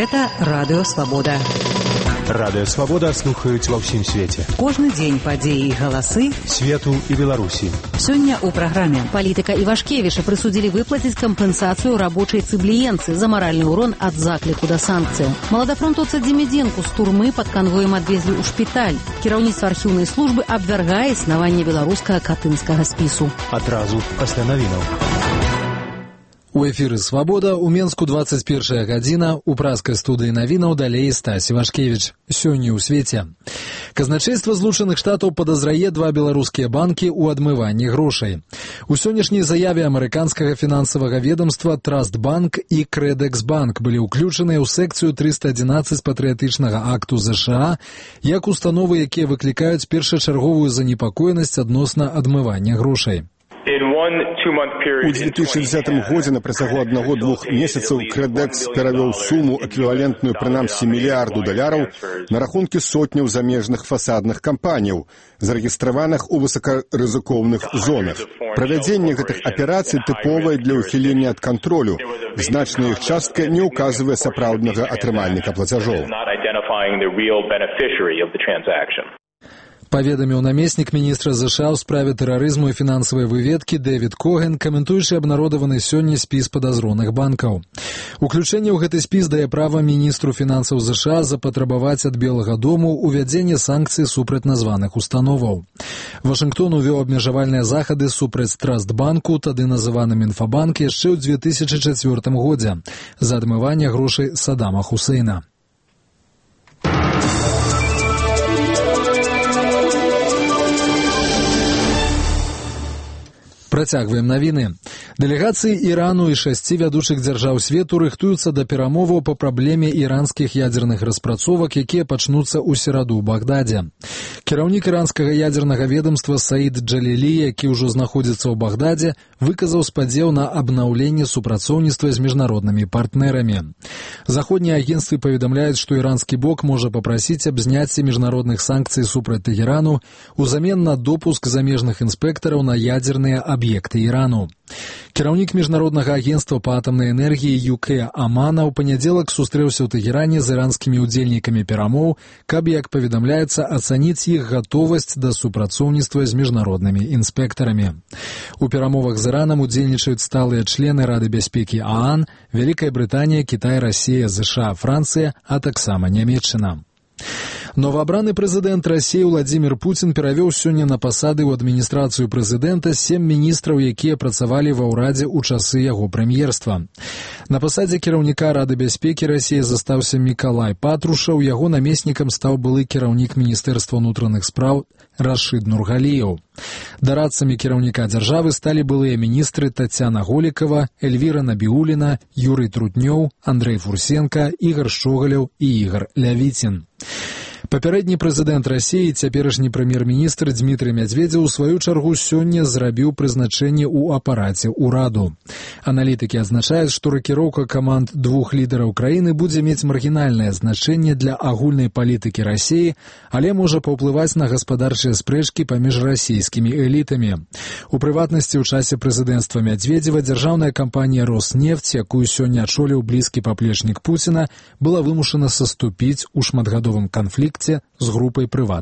Гэта Радыё Свабода. Радыё Свабода слухаюць ва ўсім свеце. Кожны дзень падзеі і галасы свету і Беларусі. Сёння ў праграме палітыка Івашкевіча прысудзілі выплаціць кампенсацыю рабочай цыбліенцы за маральны ўрон ад закліку да санкцыяў. Маладафронтоўца Дзімідзенку з турмы пад канвоем адвезлі ў шпіталь. Кіраўніцтва архіўнай службы абвяргае існаванне беларускага катынскага спісу. Адразу пасля навінаў. У эфіры «Свабода» у Менску 21 гадзіна, у праскай студыі навінаў далей Стась Івашкевіч. Сёння ў свеце. Казначейства Злучаных Штатаў падазрае два беларускія банкі ў адмыванні грошай. У сённяшняй заяве амерыканскага фінансавага ведомства Трастбанк і Крэдэксбанк былі ўключаныя ў секцыю 311 патрыятычнага акту ЗША як установы, якія выклікаюць першачарговую занепакоенасць адносна адмывання грошай. У 2010 годзе на працягу 1-2 месяцаў Крэдэкс перавёў суму, эквівалентную прынамсі $1 мільярдаў, на рахункі сотняў замежных фасадных кампаніяў, зарэгістраваных у высокарызыкоўных зонах. Правядзенне гэтых аперацый тыповае для ўхілення ад кантролю. Значная іх частка не ўказвае сапраўднага атрымальніка плацяжоў. Паведаміў намеснік міністра ЗША ў справе тэрарызму і фінансавай выведкі Дэвід Коген, каментуючы абнародаваны сёння спіс падазроных банкаў. Уключэнне ў гэты спіс дае права міністру фінансаў ЗША запатрабаваць ад Белага дому ўвядзенне санкцый супраць названых установаў. Вашынгтон увёў абмежавальныя захады супраць Трастбанку, тады называным Інфабанк, яшчэ ў 2004 годзе за адмыванне грошай Саддама Хусейна. Працягваем навіны. Дэлегацыі Ірану і 6 вядучых дзяржаў свету рыхтуюцца да перамоваў па праблеме іранскіх ядзерных распрацовак, якія пачнуцца ў сераду ў Багдадзе. Кіраўнік іранскага ядзернага ведомства Саід Джалілі, які ўжо знаходзіцца ў Багдадзе, выказаў спадзеў на абнаўленне супрацоўніцтва з міжнароднымі партнерамі. Заходнія агенцтвы паведамляюць, што іранскі бок можа папрасіць аб зняцці міжнародных санкцый супраць Тэгэрану узамен на допуск замежных інспектараў на ядзерныя аб'екты Ірану. Кіраўнік міжнароднага агенцтва па атамнай энергіі ЮК Амана ў панядзелак сустрэўся ў Тэгеране з іранскімі ўдзельнікамі перамоў, каб, як паведамляецца, ацаніць іх гатовасць да супрацоўніцтва з міжнароднымі інспектарамі. У перамовах з Іранам удзельнічаюць сталыя члены Рады бяспекі ААН, Вялікая Брытанія, Кітай, Расія, ЗША, Францыя, а таксама Нямецчына. Новаабраны прэзідэнт Расіі Владзімір Пуцін перавёў сёння на пасады ў адміністрацыю прэзідэнта 7 міністраў, якія працавалі ва ўрадзе ў часы яго прэм'ерства. На пасадзе кіраўніка Рады бяспекі Расіі застаўся Мікалай Патрушаў, яго намеснікам стаў былы кіраўнік Міністэрства ўнутраных спраў Рашыд Нургаліеў. Дарадцамі кіраўніка дзяржавы сталі былыя міністры Тацяна Голікава, Эльвіра Набіуліна, Юрый Трутнёў, Андрэй Фурсенка, Ігар Шчогаляў і Ігар Лявіцін. Папярэдні прэзідэнт Расіі, цяперашні прэм'ер-міністр Дзмітрый Мядзведзеў у сваю чаргу сёння зрабіў прызначэнне ў апараце ўраду. Аналітыкі адзначаюць, што ракіроўка каманд двух лідараў краіны будзе мець маргінальнае значэнне для агульнай палітыкі Расіі, але можа паўплываць на гаспадарчыя спрэчкі паміж расійскімі элітамі. У прыватнасці, ў часе прэзідэнцтва Мядзведзева дзяржаўная кампанія «Роснефть», якую сёння ачоліў блізкі паплечнік Пуціна, была вымушана саступіць у шматгадовым канфлікце з групай прыватных